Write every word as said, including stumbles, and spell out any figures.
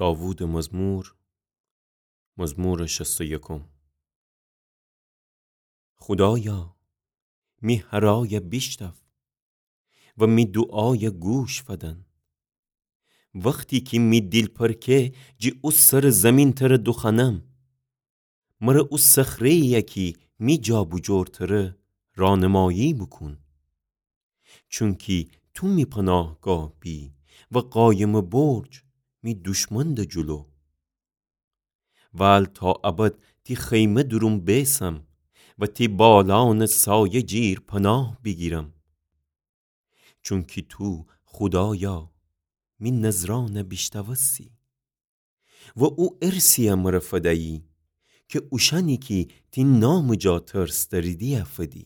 داوودٚ مزمور، مزمورٚ شصت و یکم. خودایا، می هرایَ بیشتاو و می دوعایَ گوش فدن. وختی کی می دیل پرکه، جی او سرٚ زیمین ترَ دوخوأنم. مرَ او صخره‌یی کی می جابوجور تره رانمایی بوکون. چونکی تو می پناهگاه بی و قایمٚ برج می دشمنٚ جلو. ول تا ابد تی خیمه دورون بیسم و تی بالانٚ سایه جیر پناه بیگیرم. چونکی تو، خودایا، می نذرأنَ بیشتاوستی و او ارثی‌یَ مرَ فدیی، کی اوشأنی کی تی نامٚ جا ترس دأریدی فدی.